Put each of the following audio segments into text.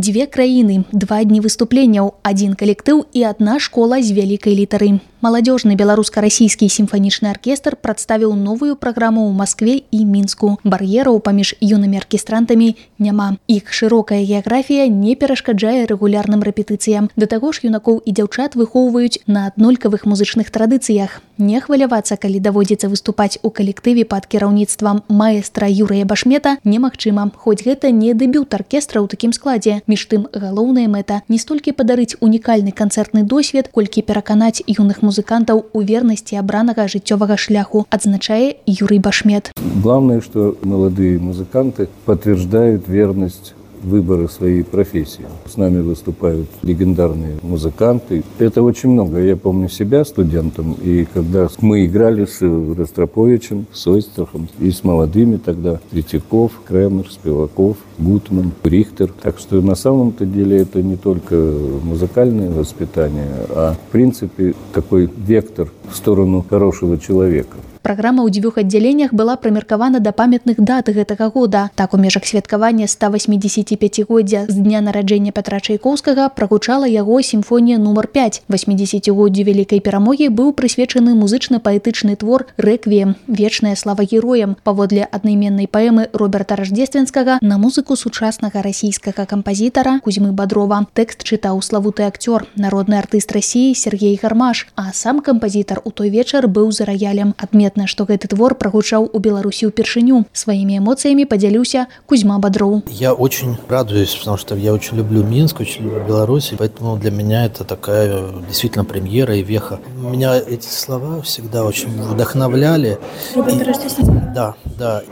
Дзве краіны, 2 дні выступленняў, 1 калектыў і 1 школа з вялікай літары. Маладзёжны беларуска-расійскі сімфанічны аркестр прадставіў новую праграму ў Маскве і Мінску. Бар'ераў паміж юнымі аркестрантамі няма. Іх шырокая геаграфія не перашкаджае рэгулярным рэпетыцыям. Да таго ж юнакоў і дзяўчат выхоўваюць на аднолькавых музычных традыцыях. Не хвалявацца, калі даводзіцца выступаць у калектыве пад кіраўніцтвам маэстра Юрыя Башмета, немагчыма, хоць гэта не дэбют аркестра ў такім складзе. Між тым, галоўная мэта не столькі падарыць унікальны канцэртны досвед, колькі пераканаць юных музыкантаў у вернасці абранага жыццёвага шляху, адзначае Юрий Башмет. Главное, что молодые музыканты подтверждают верность выбора своей профессии. С нами выступают легендарные музыканты. Это очень много. Я помню себя студентом, и когда мы играли с Ростроповичем, с Ойстрахом, и с молодыми тогда, Третьяков, Кремер, Спиваков, Гутман, Рихтер. Так что на самом-то деле это не только музыкальное воспитание, а в принципе такой вектор в сторону хорошего человека. Праграма ў 2 аддзяленнях была прымеркавана да памятных дат гэтага года. Так, у межах святкавання 185-годдзя з дня нараджэння Пятра Чайкоўскага прагучала яго сімфонія нумар 5. 80-годдзю вялікай перамогі быў прысвечаны музычна-паэтычны твор «Рэквіем. Вечная слава героям» паводле аднайменнай паэмы Роберта Раждзественскага на музыку сучаснага расійскага кампазітара Кузьмы Бадрова. Тэкст чытаў славуты акцёр, народны артыст Расіі Сергей Гармаш, а сам кампазітар у той вечар быў за раялем. Адметна, што гэты твор прагучаў у Беларусі ўпершыню. Своими эмоциями поделился Кузьма Бодров. Я очень радуюсь, потому что я очень люблю Минск, очень люблю Беларусь, поэтому для меня это такая действительно премьера и веха. Меня эти слова всегда очень вдохновляли. Да.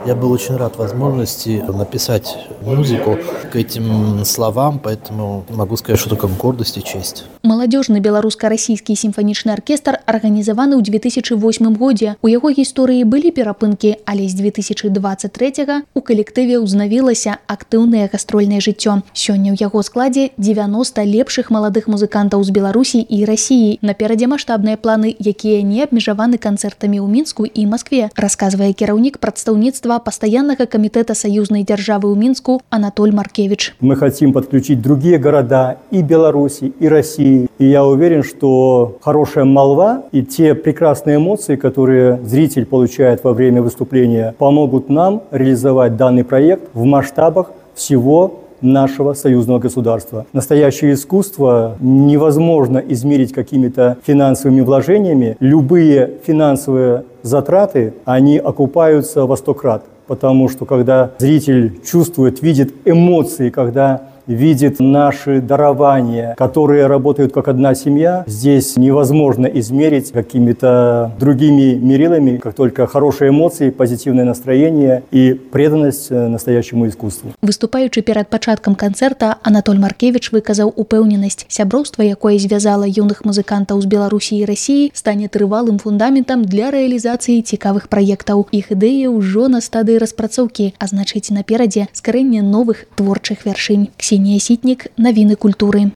Я был очень рад возможности написать музыку к этим словам, поэтому могу сказать, что только гордость и честь. Маладзёжны беларуска-расійскі сімфанічны аркестр арганізаваны ў 2008 годзе. У яго гісторыі былі перапынкі, але з 2023 у калектыве ўзнавілася актыўнае гастрольнае жыццё. Сёння ў яго складзе 90 лепшых маладых музыкантаў з Беларусі і Расіі. Наперадзе маштабныя планы, якія не абмежаваны канцэртамі ў Мінску і Маскве, расказвае кіраўнік прадстаўніцтва пастаяннага камітэта саюзнай дзяржавы ў Мінску Анатоль Маркевич. Мы хотим подключить другие города и Беларуси, и России. И я уверен, что хорошая молва и те прекрасные эмоции, которые зритель получает во время выступления, помогут нам реализовать данный проект в масштабах всего нашего союзного государства. Настоящее искусство невозможно измерить какими-то финансовыми вложениями. Любые финансовые затраты, они окупаются во 100 крат. Потому что когда зритель чувствует, видит эмоции, когда видит наши дарования, которые работают как одна семья, здесь невозможно измерить какими-то другими мерилами, как только хорошие эмоции, позитивное настроение и преданность настоящему искусству. Выступаючы перад пачаткам канцэрта, Анатоль Маркевич выказаў упэўненасць. Сяброўства, якое звязала юных музыкантаў з Беларусі і Расіі, стане трывалым фундаментам для рэалізацыі цікавых праектаў. Іх ідэі ўжо на стадыі распрацоўкі, а значыць наперадзе скарэнне новых творчых вяршынь. Ксения Ситник, новины культуры.